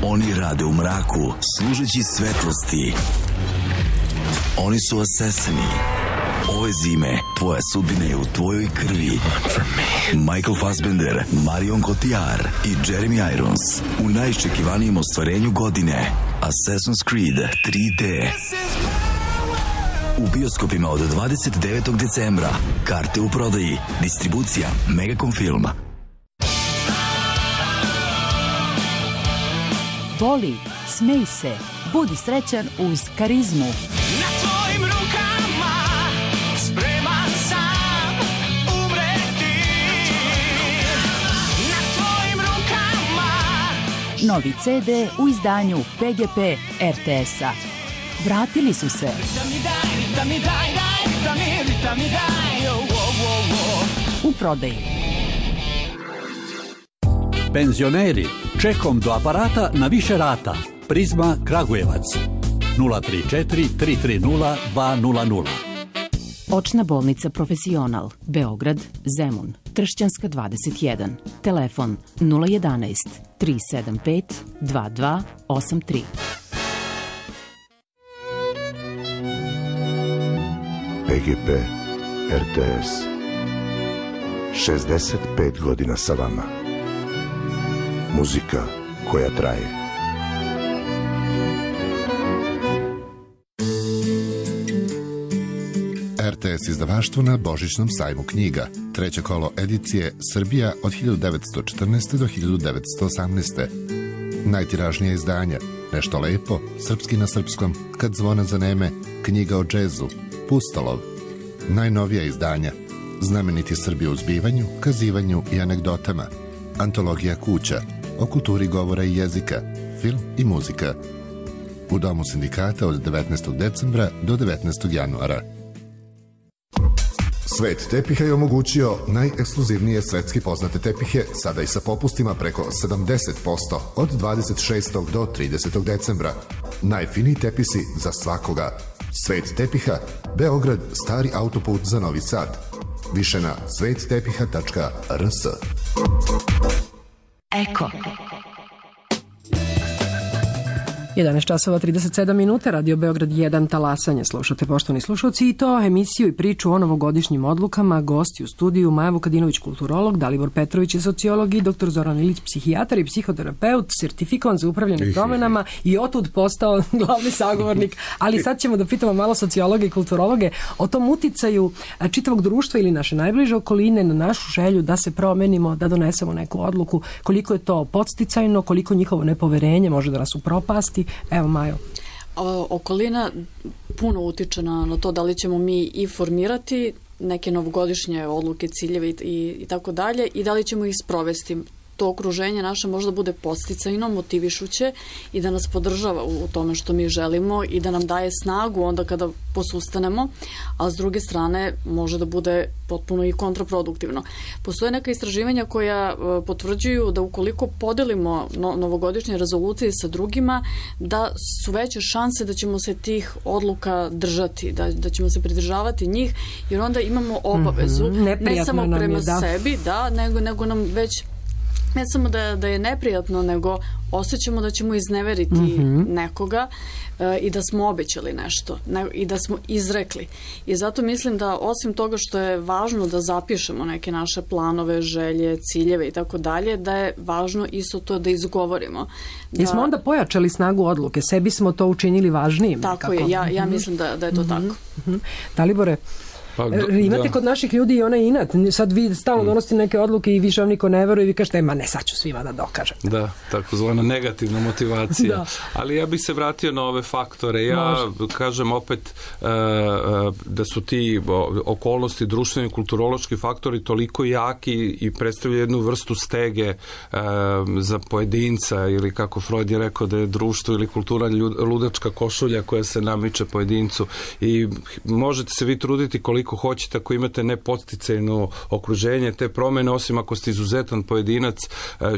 Oni rade u mraku, služeći svetlosti. Oni su asesini, Ove zime tvoja sudbina je u tvojoj krvi. Michael Fassbender, Marion Cotillard i Jeremy Irons u najiščekivanijem ostvarenju godine, Assassin's Creed tri D. U bioskopima od dvadeset devetog decembra. Karte u prodaji. Distribucija Megacom Film. Voli, smej se, budi srećan uz Karizmu. Na tvojim rukama spreman sam umreti. Na tvojim rukama. Novi ce de u izdanju P G P er te es-a. Vratili su se. U prodaji. Penzioneri, čekom do aparata na više rata. Prizma Kragujevac. nula tri četiri tri tri nula dva nula nula. Očna bolnica Profesional, Beograd, Zemun, Tršćanska dvadeset jedan. Telefon nula jedanaest tri sedam pet dva dva osam tri. P G P er te es. šezdeset pet godina sa vama. Muzika koja traje. er te es izdavaštvo na Božićnom sajmu knjiga. Treće kolo edicije Srbija od hiljadu devetsto četrnaeste. do hiljadu devetsto osamnaeste. Najtiražnija izdanja Nešto lepo, Srpski na srpskom, Kad zvona zaneme, Knjiga o džezu, Pustolov. Najnovija izdanja Znameniti Srbi u zbivanju, kazivanju i anegdotama, Antologija kuća, o kulturi govora i jezika, film i muzika. U Domu sindikata od devetnaestog decembra do devetnaestog januara. Svet tepiha je omogućio najekskluzivnije svetski poznate tepihe, sada i sa popustima preko sedamdeset posto od dvadeset šestog do tridesetog decembra. Najfiniji tepisi za svakoga. Svet tepiha, Beograd, stari autoput za Novi Sad. Više na svet tepiha tačka er es. Eko. jedanaest časova trideset sedam minuta, Radio Beograd jedan, talasanje. Slušate, poštovani slušalci, i to emisiju i priču o novogodišnjim odlukama. Gosti u studiju Maja Vukadinović, kulturolog, Dalibor Petrović, sociolog, i doktor Zoran Ilić, psihijatar i psihoterapeut, sertifikovan za upravljanje promenama i otud postao glavni sagovornik. Ali sad ćemo da pitamo malo sociologe i kulturologe o tom uticaju čitavog društva ili naše najbliže okoline na našu želju da se promenimo, da donesemo neku odluku, koliko je to podsticajno, koliko njihovo nepoverenje može da nas upropasti. Evo, Majo. Okolina puno utiče na, na to da li ćemo mi i formirati neke novogodišnje odluke, ciljeve i, i, i tako dalje, i da li ćemo ih sprovesti. To okruženje naše možda bude podsticajno, motivišuće i da nas podržava u tome što mi želimo i da nam daje snagu onda kada posustanemo, a s druge strane može da bude potpuno i kontraproduktivno. Postoje neka istraživanja koja potvrđuju da ukoliko podelimo no, novogodišnje rezolucije sa drugima, da su veće šanse da ćemo se tih odluka držati, da, da ćemo se pridržavati njih, jer onda imamo obavezu, mm-hmm. ne samo prema je, da. sebi, da, nego, nego nam već ne samo da, da je neprijatno, nego osjećamo da ćemo izneveriti mm-hmm. nekoga e, i da smo obećali nešto ne, i da smo izrekli. I zato mislim da osim toga što je važno da zapišemo neke naše planove, želje, ciljeve i tako dalje, da je važno isto to da izgovorimo. Da... I smo onda pojačali snagu odluke, sebi smo to učinili važnijim. Tako nekako. je, ja, ja mislim da, da je to mm-hmm. tako. Mm-hmm. Dalibore, Pa, da, imate da. kod naših ljudi i onaj inat. Sad vi stalno donosite neke odluke i više vam niko ne veruje i vi kažete, ma ne, sad ću svima da dokažem. Da, takozvana negativna motivacija. Da. Ali ja bih se vratio na ove faktore. Ja Može. kažem opet uh, uh, da su ti okolnosti, društveni, kulturološki faktori toliko jaki i predstavljaju jednu vrstu stege uh, za pojedinca, ili kako Freud je rekao da je društvo ili kultura ludačka košulja koja se namiče pojedincu. I možete se vi truditi koliko koliko hoćete, ako imate nepodsticajno okruženje, te promene, osim ako ste izuzetan pojedinac,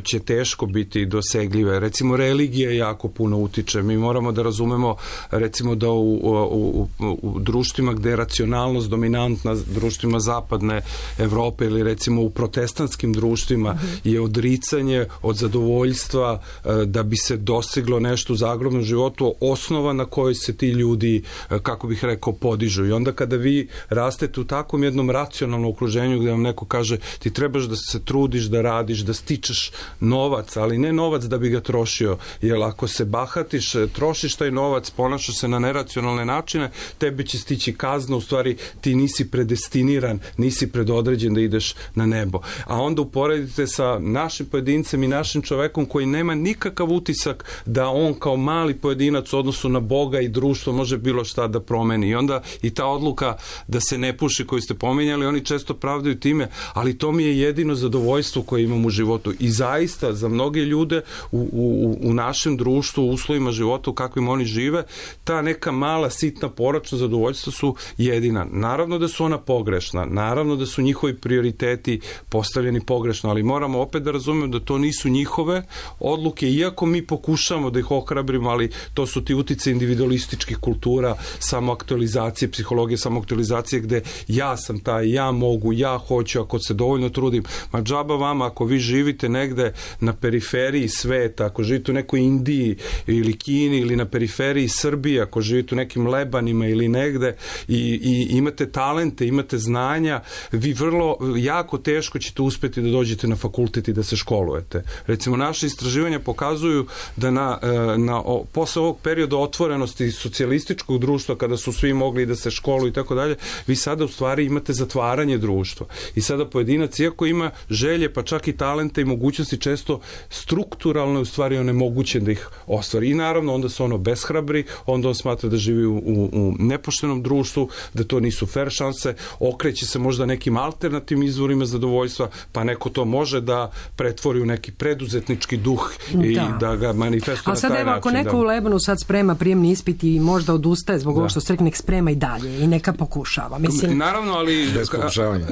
će teško biti dosegljive. Recimo, religija jako puno utiče. Mi moramo da razumemo, recimo, da u, u, u, u društvima gde je racionalnost dominantna, društvima zapadne Evrope ili recimo u protestantskim društvima, je odricanje od zadovoljstva da bi se dostiglo nešto u zagrobnom životu, osnova na kojoj se ti ljudi, kako bih rekao, podižu. I onda kada vi rastete u takvom jednom racionalnom okruženju gde vam neko kaže ti trebaš da se trudiš, da radiš, da stičeš novac, ali ne novac da bi ga trošio, jer ako se bahatiš, trošiš taj novac, ponašaš se na neracionalne načine, tebi će stići kazna, u stvari ti nisi predestiniran, nisi predodređen da ideš na nebo. A onda uporedite sa našim pojedincem i našim čovekom koji nema nikakav utisak da on kao mali pojedinac u odnosu na Boga i društvo može bilo šta da promeni. I onda i ta odluka da se ne puši koju ste pominjali, oni često pravdaju time, ali to mi je jedino zadovoljstvo koje imam u životu. I zaista za mnoge ljude u, u, u našem društvu, u uslovima života u kakvim oni žive, ta neka mala sitna poračna zadovoljstva su jedina. Naravno da su ona pogrešna, naravno da su njihovi prioriteti postavljeni pogrešno, ali moramo opet da razumemo da to nisu njihove odluke, iako mi pokušamo da ih ohrabrimo, ali to su ti utice individualističkih kultura, samoaktualizacije, psihologije samoaktualizacije, gde ja sam taj, ja mogu, ja hoću, ako se dovoljno trudim. Ma džaba vama, ako vi živite negde na periferiji sveta, ako živite u nekoj Indiji ili Kini ili na periferiji Srbije, ako živite u nekim Lebanima ili negde i, i imate talente, imate znanja, vi vrlo jako teško ćete uspeti da dođete na fakultet i da se školujete. Recimo, naše istraživanja pokazuju da na, na, o, posle ovog perioda otvorenosti socijalističkog društva, kada su svi mogli da se školuju i tako dalje, vi sada u stvari imate zatvaranje društva. I sada pojedinac, iako ima želje, pa čak i talente i mogućnosti, često strukturalno u stvari onemogućen da ih ostvari. I naravno, onda se ono beshrabri, onda on smatra da živi u, u, u nepoštenom društvu, da to nisu fair šanse, okreće se možda nekim alternativnim izvorima zadovoljstva, pa neko to može da pretvori u neki preduzetnički duh i da, da ga manifestuje na taj način. A sad evo, ako neko da... u Lebanu sad sprema prijemni ispit i možda odustaje zbog da. ovo što ste rekli, nek sprema i dalje i neka pokušava. Mislim... Naravno, ali bez pokušavanja.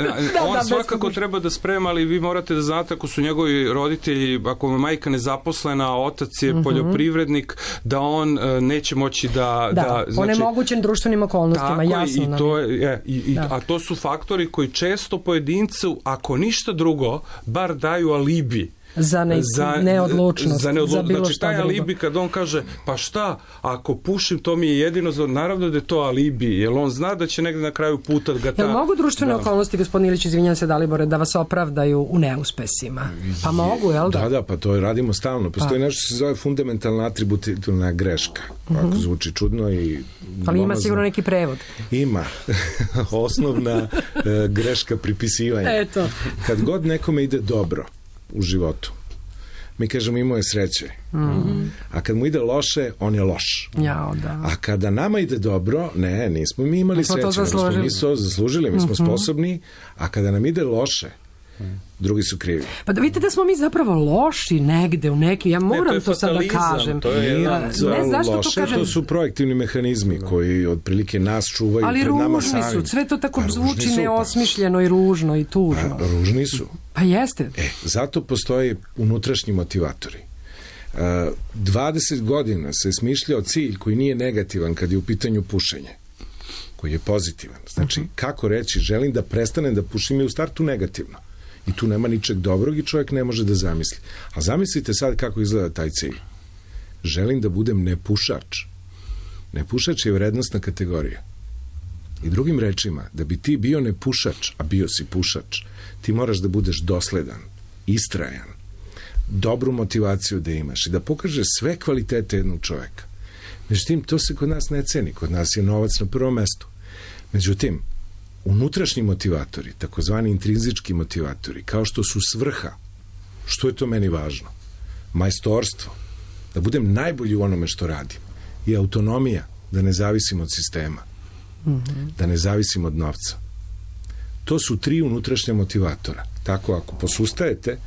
On da, svakako treba da sprema, ali vi morate da znate, ako su njegovi roditelji, ako je majka nezaposlena, a otac je uh-huh. poljoprivrednik, da on uh, neće moći da... Da, da znači, onemogućen društvenim okolnostima, tako, jasno. I to je, je, i, i, a to su faktori koji često pojedincu, ako ništa drugo, bar daju alibi za, ne, za neodlučnost, za, neodlu... za bilo znači, šta taj drugo. alibi kad on kaže, pa šta, ako pušim, to mi je jedino za... Naravno da je to alibi, jer on zna da će negde na kraju puta ga ta... Jel mogu društvene da. okolnosti, gospodin Ilić, izvinjam se Dalibore, da vas opravdaju u neuspesima? Pa mogu, jel da? Da, da, pa to radimo stalno. Postoji pa. nešto što se zove fundamentalna atributivna greška. Ovako uh-huh. zvuči čudno i... Ali ima sigurno neki prevod. Ima. Osnovna uh, greška pripisivanja. Eto. Kad god nekome ide dobro u životu, mi kažemo imao je sreće. Mm-hmm. A kad mu ide loše, on je loš. Jao, da. A kada nama ide dobro, ne, nismo mi imali sreće. Mi smo mi smo zaslužili, mi smo mm-hmm. sposobni, a kada nam ide loše, drugi su krivi. Pa da vidite da smo mi zapravo loši negde u neki, ja moram ne, to, to sad da kažem. To je ja, ne, zašto loše, to kažem? To su projektivni mehanizmi koji otprilike nas čuvaju ali pred nama samim. Ali ružni su, sve to tako pa, zvuči neosmišljeno i ružno i tužno. Pa, ružni su. Pa jeste. E, zato postoji unutrašnji motivatori. Uh, dvadeset godina se smišljao cilj koji nije negativan kad je u pitanju pušenje, koji je pozitivan. Znači, uh-huh. kako reći, želim da prestanem da pušim je u startu negativno. I tu nema ničeg dobrog i čovjek ne može da zamisli. A zamislite sad kako izgleda taj cilj. Želim da budem nepušač. Nepušač je vrednostna kategorija. I drugim rečima, da bi ti bio nepušač, a bio si pušač, ti moraš da budeš dosledan, istrajan, dobru motivaciju da imaš i da pokažeš sve kvalitete jednog čoveka. Međutim, to se kod nas ne ceni. Kod nas je novac na prvom mestu. Međutim, unutrašnji motivatori, takozvani intrinzički motivatori, kao što su svrha, što je to meni važno? Majstorstvo, da budem najbolji u onome što radim, i autonomija, da ne zavisim od sistema, mm-hmm. da ne zavisim od novca. To su tri unutrašnja motivatora. Tako, ako posustajete,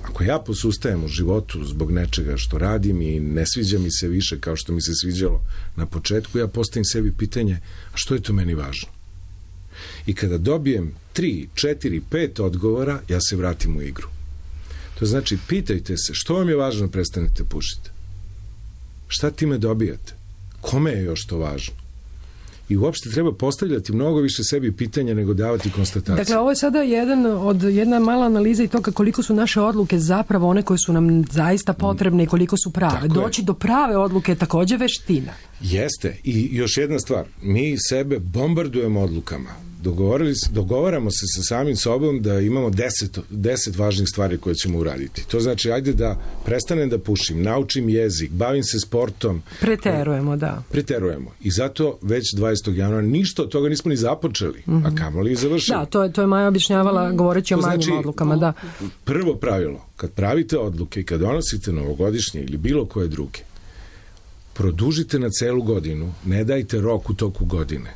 ako ja posustajem u životu zbog nečega što radim i ne sviđa mi se više kao što mi se sviđalo na početku, ja postavim sebi pitanje, a što je to meni važno? I kada dobijem tri, četiri, pet odgovora, ja se vratim u igru. To znači, pitajte se, što vam je važno prestanete pušiti? Šta time dobijate? Kome je još to važno? I uopšte treba postavljati mnogo više sebi pitanja nego davati konstatacije. Dakle, ovo je sada jedan od, jedna mala analiza i toga koliko su naše odluke zapravo one koje su nam zaista potrebne i koliko su prave. Tako Doći je. do prave odluke je takođe veština. Jeste. I još jedna stvar. Mi sebe bombardujemo odlukama. dogovorili, dogovaramo se sa samim sobom da imamo deset, deset važnih stvari koje ćemo uraditi. To znači, ajde da prestanem da pušim, naučim jezik, bavim se sportom. Preterujemo, da. Preterujemo. I zato već dvadesetog januara ništa od toga nismo ni započeli, mm-hmm. a kamoli i završili. Da, to je, to je Maja objašnjavala govoreći o manjim znači, odlukama, da. Prvo pravilo, kad pravite odluke i kad donosite novogodišnje ili bilo koje druge, produžite na celu godinu, ne dajte rok u toku godine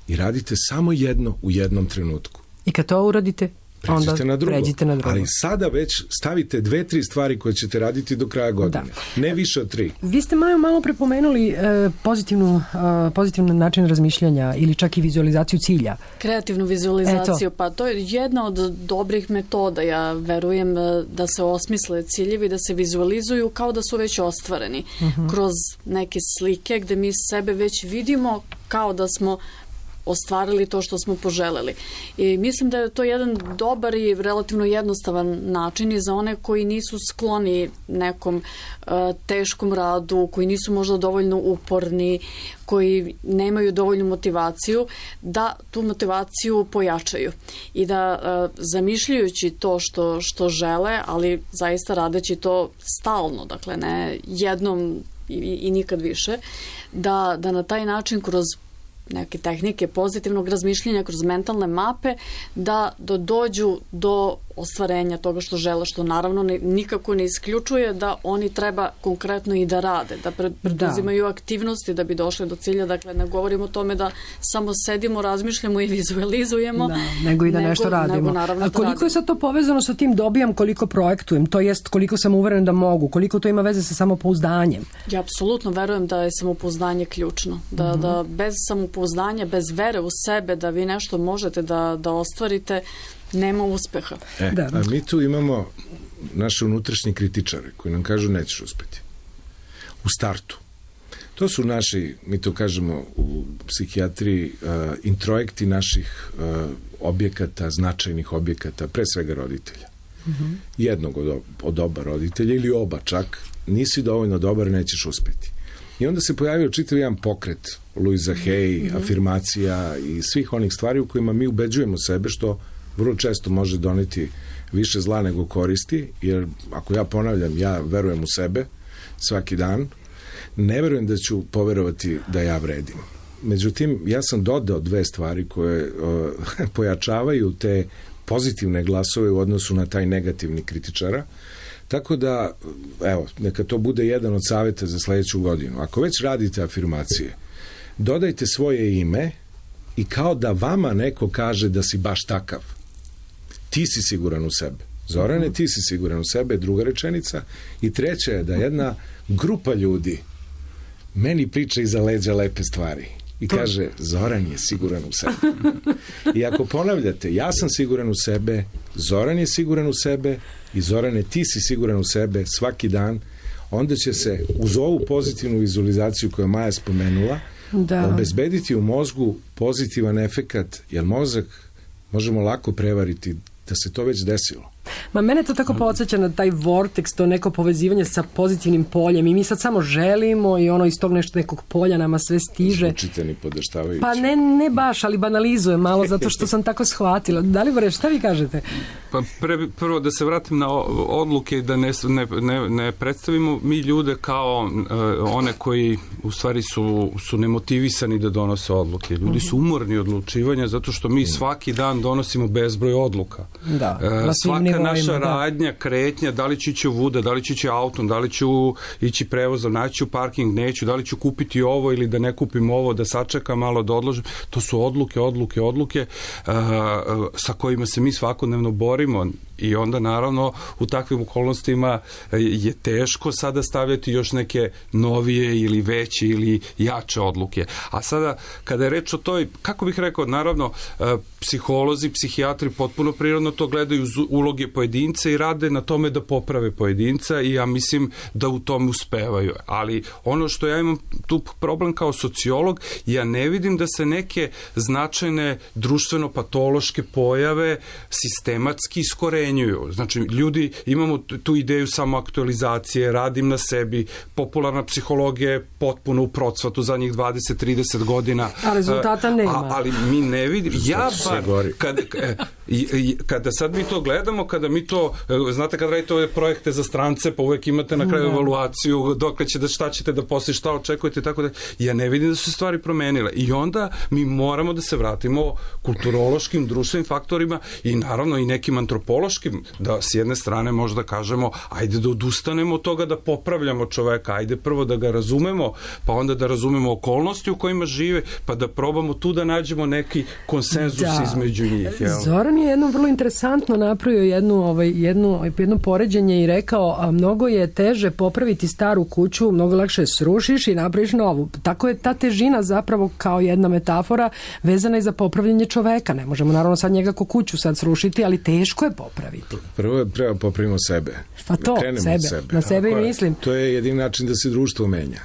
i radite samo jedno u jednom trenutku. I kad to uradite, onda pređite na drugo. Pređite na drugo. Ali sada već stavite dve, tri stvari koje ćete raditi do kraja godine. Da. Ne više od tri. Vi ste, Majo, malo prepomenuli e, pozitivnu, e, pozitivnu način razmišljanja ili čak i vizualizaciju cilja. Kreativnu vizualizaciju, Eto. pa to je jedna od dobrih metoda. Ja verujem da se osmisle ciljevi, da se vizualizuju kao da su već ostvareni. Uh-huh. Kroz neke slike gde mi sebe već vidimo kao da smo ostvarili to što smo poželeli. I mislim da je to jedan dobar i relativno jednostavan način i za one koji nisu skloni nekom uh, teškom radu, koji nisu možda dovoljno uporni, koji nemaju dovoljnu motivaciju, da tu motivaciju pojačaju i da uh, zamišljajući to što, što žele, ali zaista radeći to stalno, dakle ne jednom i, i nikad više, da, da na taj način kroz neke tehnike pozitivnog razmišljanja, kroz mentalne mape, da, da dođu do ostvarenja toga što žele, što naravno ne, nikako ne isključuje da oni treba konkretno i da rade, da preduzimaju da. aktivnosti da bi došli do cilja. Dakle, ne govorimo o tome da samo sedimo, razmišljamo i vizualizujemo, da, nego i da nego, nešto radimo. Nego, A koliko je sad to povezano sa tim dobijam, koliko projektujem, to jest koliko sam uveren da mogu, koliko to ima veze sa samopouzdanjem? Ja apsolutno verujem da je samopouzdanje ključno. Da, uh-huh. da bez samopouzdanja, bez vere u sebe da vi nešto možete da, da ostvarite, nema uspeha. E, da. A mi tu imamo naše unutrašnje kritičare koji nam kažu nećeš uspeti. U startu. To su naši, mi to kažemo u psihijatriji, uh, introjekti naših uh, objekata, značajnih objekata, pre svega roditelja. Uh-huh. Jednog od, od oba roditelja ili oba čak, nisi dovoljno dobar, nećeš uspeti. I onda se pojavio čitav jedan pokret Louisa Hay, mm-hmm. afirmacija i svih onih stvari u kojima mi ubeđujemo sebe, što vrlo često može doneti više zla nego koristi, jer ako ja ponavljam, ja verujem u sebe svaki dan, ne verujem da ću poverovati da ja vredim. Međutim, ja sam dodao dve stvari koje uh, pojačavaju te pozitivne glasove u odnosu na taj negativni kritičara. Tako da, evo, neka to bude jedan od savjeta za sledeću godinu. Ako već radite afirmacije, dodajte svoje ime i kao da vama neko kaže da si baš takav. Ti si siguran u sebe. Zorane, ti si siguran u sebe, druga rečenica. I treća je da jedna grupa ljudi meni priča iza leđa lepe stvari. I kaže, Zoran je siguran u sebe. I ako ponavljate, ja sam siguran u sebe, Zoran je siguran u sebe i Zorane, ti si siguran u sebe svaki dan, onda će se uz ovu pozitivnu vizualizaciju koju je Maja spomenula, da. obezbediti u mozgu pozitivan efekat, jer mozak možemo lako prevariti da se to već desilo. Ma mene to tako podsjeća na taj vortex, to neko povezivanje sa pozitivnim poljem i mi sad samo želimo i ono iz tog nešto nekog polja nama sve stiže. Zvučite ni podaštavajući. Pa ne, ne baš, ali banalizujem malo zato što sam tako shvatila. Da li Bore, šta vi kažete? Pa pre, prvo da se vratim na odluke i da ne, ne, ne, ne predstavimo mi ljude kao uh, one koji u stvari su, su nemotivisani da donose odluke. Ljudi su umorni odlučivanja zato što mi svaki dan donosimo bezbroj odluka. Da, uh, svaka naša radnja, kretnja, da li ću ići u vuda, da li ću ići autom, da li ću ići prevozom, naći ću parking, neću, da li ću kupiti ovo ili da ne kupim ovo, da sačekam malo, da odložim. To su odluke, odluke, odluke uh, sa kojima se mi svakodnevno borimo. I onda naravno u takvim okolnostima je teško sada stavljati još neke novije ili veće ili jače odluke. A sada kada je reč o toj, kako bih rekao, naravno psiholozi, psihijatri potpuno prirodno to gledaju uz uloge pojedinca i rade na tome da poprave pojedinca i ja mislim da u tom uspevaju. Ali ono što ja imam tu problem kao sociolog, ja ne vidim da se neke značajne društveno-patološke pojave sistematski iskorenjuju. ucenjuju. Znači, ljudi, imamo tu ideju samoaktualizacije, radim na sebi, popularna psihologija je potpuno u procvatu zadnjih dvadeset do trideset godina. A rezultata nema. A, ali mi ne vidimo. Ja bar, kad, kada sad mi to gledamo, kada mi to, znate kad radite ove projekte za strance, pa uvek imate na kraju evaluaciju, dokle će da, šta ćete da posle, šta očekujete, tako da, ja ne vidim da su se stvari promenile. I onda mi moramo da se vratimo kulturološkim, društvenim faktorima i naravno i nekim antropološkim, da s jedne strane možda kažemo, ajde da odustanemo od toga da popravljamo čoveka, ajde prvo da ga razumemo, pa onda da razumemo okolnosti u kojima žive, pa da probamo tu da nađemo neki konsenzus da. između njih. Jel? Zoran je jedno vrlo interesantno napravio jednu, ovaj, jednu, jedno poređenje i rekao, a mnogo je teže popraviti staru kuću, mnogo lakše srušiš i napraviš novu. Tako je ta težina zapravo kao jedna metafora vezana i za popravljanje čoveka. Ne možemo naravno sad njega ko kuću sad srušiti, ali teško je popraviti. Prvo treba popravimo sebe. Pa to, da sebe. sebe. Na sebe i mislim. To je jedin način da se društvo menja.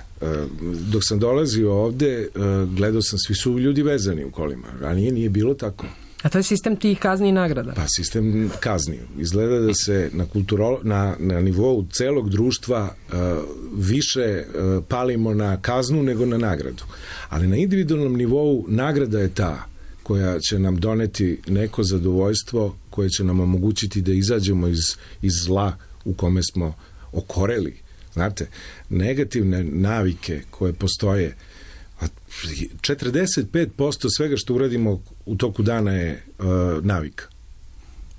Dok sam dolazio ovde, gledao sam, svi su ljudi vezani u kolima. Ranije nije bilo tako. A to je sistem tih kazni i nagrada? Pa sistem kazni. Izgleda da se na, kulturo, na, na nivou celog društva uh, više uh, palimo na kaznu nego na nagradu. Ali na individualnom nivou nagrada je ta koja će nam doneti neko zadovoljstvo, koje će nam omogućiti da izađemo iz, iz zla u kome smo okoreli. Znate, negativne navike koje postoje, četrdeset pet posto svega što uradimo u toku dana je uh, navika.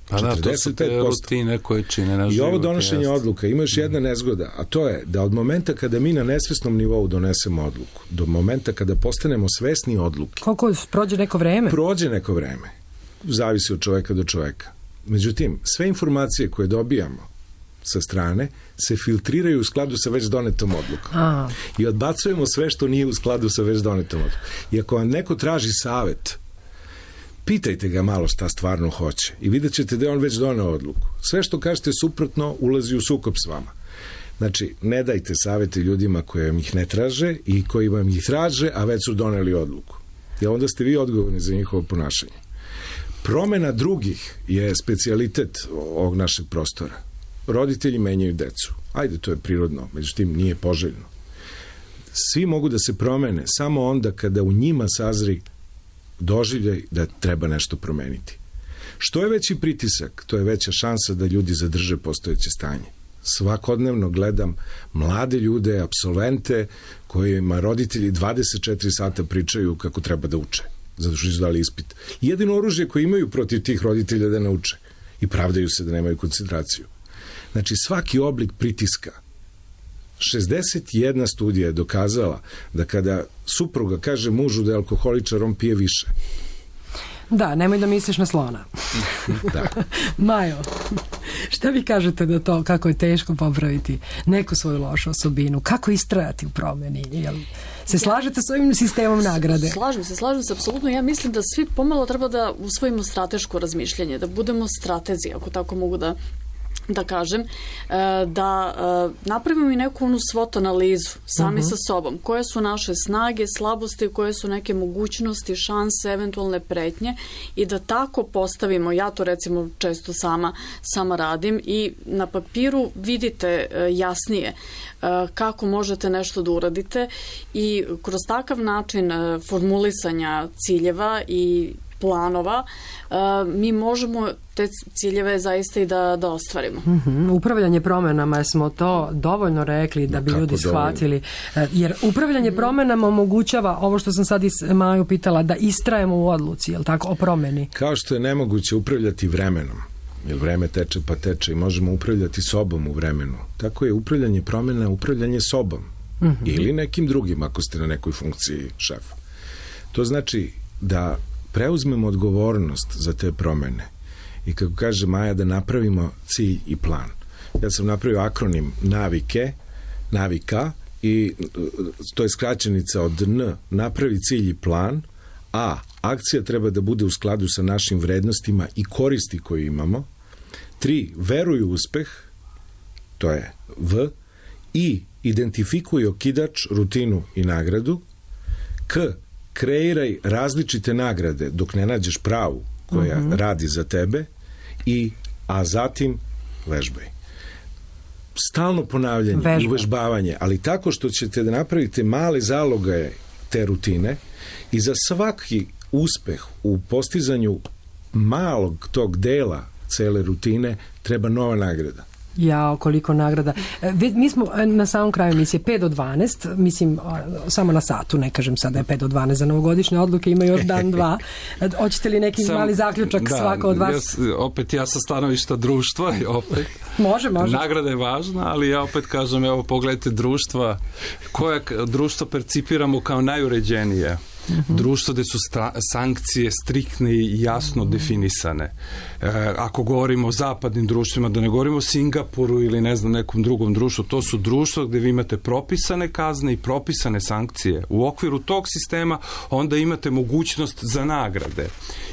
Pa da, to su te rutine koje čine na I život. ovo donošenje odluka, ima još jedna nezgoda, a to je da od momenta kada mi na nesvesnom nivou donesemo odluku, do momenta kada postanemo svesni odluke. Koliko prođe neko vreme? Prođe neko vreme. Zavisi od čoveka do čoveka. Međutim, sve informacije koje dobijamo sa strane se filtriraju u skladu sa već donetom odlukom. A. I odbacujemo sve što nije u skladu sa već donetom odlukom. I ako vam neko traži savet, pitajte ga malo šta stvarno hoće i vidjet ćete da je on već doneo odluku. Sve što kažete suprotno ulazi u sukob s vama. Znači, ne dajte savete ljudima koji vam ih ne traže i koji vam ih traže, a već su doneli odluku. I onda ste vi odgovorni za njihovo ponašanje. Promena drugih je specijalitet ovog našeg prostora. Roditelji menjaju decu. Ajde, to je prirodno, međutim nije poželjno. Svi mogu da se promene samo onda kada u njima sazri doživljaj da treba nešto promeniti. Što je veći pritisak, to je veća šansa da ljudi zadrže postojeće stanje. Svakodnevno gledam mlade ljude, apsolvente, kojima roditelji dvadeset četiri sata pričaju kako treba da uče, zato što su dali ispit. Jedino oružje koje imaju protiv tih roditelja da nauče i pravdaju se da nemaju koncentraciju. Znači, svaki oblik pritiska. šezdeset jedna studija je dokazala da kada supruga kaže mužu da je alkoholičar, on pije više. Da, nemoj da misliš na slona. Da. Majo, šta vi kažete da to, kako je teško popraviti neku svoju lošu osobinu? Kako istrajati u promeni? Jel se slažete s ovim sistemom nagrade? Slažem se, slažem se, apsolutno. Ja mislim da svi pomalo treba da usvojimo strateško razmišljanje, da budemo stratezi, ako tako mogu da da kažem, da napravimo i neku onu SWOT analizu sami uh-huh. sa sobom. Koje su naše snage, slabosti, koje su neke mogućnosti, šanse, eventualne pretnje i da tako postavimo, ja to recimo često sama, sama radim i na papiru vidite jasnije kako možete nešto da uradite i kroz takav način formulisanja ciljeva i planova, mi možemo te ciljeve zaista i da, da ostvarimo. Uh-huh. Upravljanje promenama, smo to dovoljno rekli da bi Kako ljudi shvatili. Dovoljno? Jer upravljanje uh-huh. promenama omogućava ovo što sam sad i Maju pitala, da istrajemo u odluci, jel tako, o promeni? Kao što je nemoguće upravljati vremenom, jer vreme teče pa teče i možemo upravljati sobom u vremenu. Tako je upravljanje promena upravljanje sobom. Uh-huh. Ili nekim drugim, ako ste na nekoj funkciji šefa. To znači da preuzmemo odgovornost za te promene i kako kaže Maja, da napravimo cilj i plan. Ja sam napravio akronim navike, navika i to je skraćenica od N, napravi cilj i plan, A, akcija treba da bude u skladu sa našim vrednostima i koristi koje imamo, tri, veruj u uspeh, to je V, I, identifikuj okidač, rutinu i nagradu, K, kreiraj različite nagrade dok ne nađeš pravu koja uh-huh. radi za tebe i a zatim vežbaj. Stalno ponavljanje Vežba. i uvežbavanje, ali tako što ćete da napravite male zalogaje te rutine i za svaki uspeh u postizanju malog tog dela cele rutine treba nova nagrada. Jao, koliko nagrada. E, Mi smo na samom kraju emisije pet do dvanaest, mislim, samo na satu, ne kažem sad da je pet do dvanaest za novogodišnje odluke, ima još dan, dva. Hoćete li neki Sam, mali zaključak da, svako od vas? Ja, opet ja sa stanovišta društva, opet. Može, može. Nagrada je važna, ali ja opet kažem, evo, pogledajte društva, koje društvo percipiramo kao najuređenije. Mm-hmm. Društvo gde su sta- sankcije striktne i jasno mm-hmm. definisane. E, ako govorimo o zapadnim društvima, da ne govorimo o Singapuru ili ne znam nekom drugom društvu, to su društva gde vi imate propisane kazne i propisane sankcije. U okviru tog sistema onda imate mogućnost za nagrade.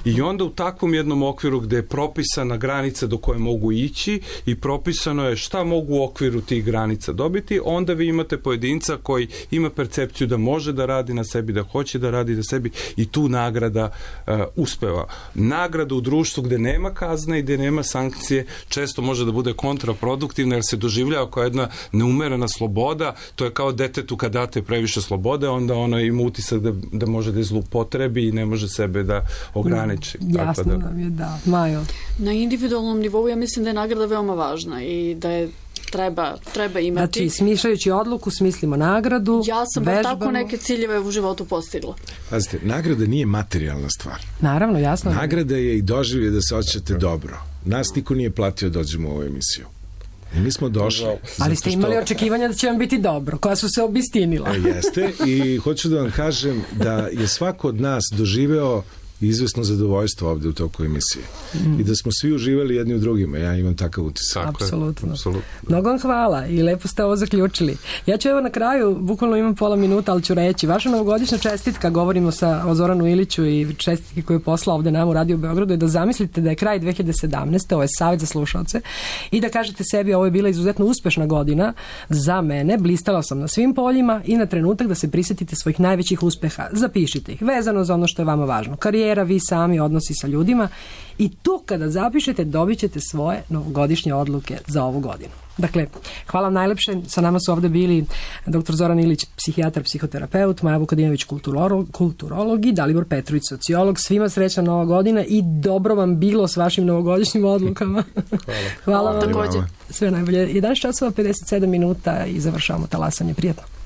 I onda u takvom jednom okviru gde je propisana granica do koje mogu ići i propisano je šta mogu u okviru tih granica dobiti, onda vi imate pojedinca koji ima percepciju da može da radi na sebi, da hoće da radi da sebi i tu nagrada uh, uspeva. Nagrada u društvu gde nema kazne i gde nema sankcije često može da bude kontraproduktivna jer se doživljava kao jedna neumerena sloboda. To je kao detetu kad date previše slobode, onda ono ima utisak da, da može da je zloupotrebi i ne može sebe da ograniči. Mm, jasno da... nam je, da. Majo? Na individualnom nivou ja mislim da je nagrada veoma važna i da je treba, treba imati. Znači, smišljajući odluku, smislimo nagradu, ja sam vežbamo. Tako neke ciljeve u životu postigla. Pazite, nagrada nije materijalna stvar. Naravno, jasno. Nagrada je i doživlje da se osjećate dobro. Nas niko nije platio da dođemo u ovu emisiju. I mi smo došli. Ali ste imali što... očekivanja da će vam biti dobro, koja su se obistinila. E, jeste, i hoću da vam kažem da je svako od nas doživeo izvesno zadovoljstvo ovde u toku emisije. Mm. I da smo svi uživali jedni u drugima. Ja imam takav utisak. Apsolutno. Mnogo vam hvala i lepo ste ovo zaključili. Ja ću evo na kraju, bukvalno imam pola minuta, ali ću reći, vaša novogodišnja čestitka, govorimo sa o Zoranu Iliću i čestitke koju je poslao ovde nam u Radio Beogradu, je da zamislite da je kraj dve hiljade sedamnaeste. Ovo je savjet za slušalce i da kažete sebi, ovo je bila izuzetno uspešna godina za mene, blistala sam na svim poljima i na trenutak da se prisetite svojih najvećih uspeha. Zapišite ih, vezano za ono što je vama važno. Karijera, vi sami, odnosi sa ljudima i tu kada zapišete dobit ćete svoje novogodišnje odluke za ovu godinu. Dakle, hvala vam najlepše. Sa nama su ovde bili doktor Zoran Ilić, psihijatar, psihoterapeut, Maja Vukadinović, kulturolog, kulturolog i Dalibor Petrović, sociolog. Svima srećna nova godina i dobro vam bilo s vašim novogodišnjim odlukama. Hvala. Hvala vam. Takođe. Sve najbolje. jedanaest časova pedeset sedam minuta i završavamo talasanje. Prijatno.